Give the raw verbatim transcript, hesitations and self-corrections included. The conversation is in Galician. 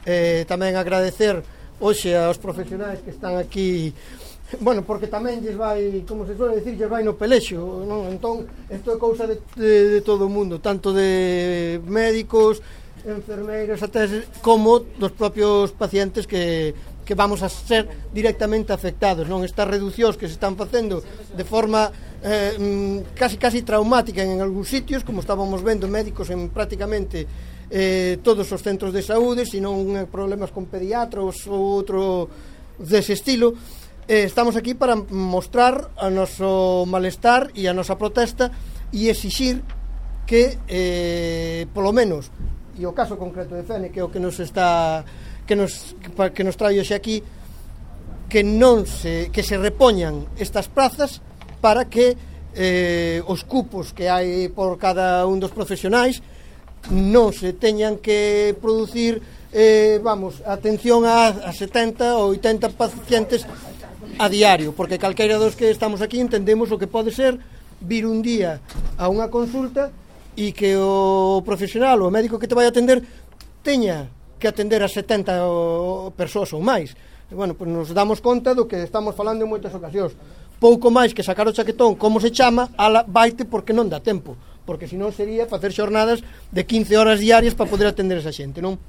eh, tamén agradecer hoxe aos profesionais que están aquí, bueno, porque tamén lles vai, como se suele decir, lles vai no pelexo, non? Entón, isto é cousa de, de, de todo o mundo, tanto de médicos, enfermeiras, até como dos propios pacientes que, que vamos a ser directamente afectados, non? Estas reducións que se están facendo de forma eh, casi casi traumática en algúns sitios, como estábamos vendo médicos en prácticamente eh, todos os centros de saúde, senón problemas con pediatros ou outro dese estilo. Eh, estamos aquí para mostrar o noso malestar e a nosa protesta e exixir que eh, polo menos, e o caso concreto de Fene, que é o que nos está que nos, que nos trae hoxe aquí, que non se, que se repoñan estas prazas para que eh, os cupos que hai por cada un dos profesionais non se teñan que producir eh, vamos, atención a, a setenta ou oitenta pacientes a diario, porque calqueira dos que estamos aquí entendemos o que pode ser vir un día a unha consulta e que o profesional, o médico que te vai atender teña que atender a setenta persoas ou máis. E, bueno, pues nos damos conta do que estamos falando en moitas ocasións. Pouco máis que sacar o chaquetón, como se chama, ala baite porque non dá tempo, porque senón sería facer xornadas de quince horas diarias para poder atender esa xente, non?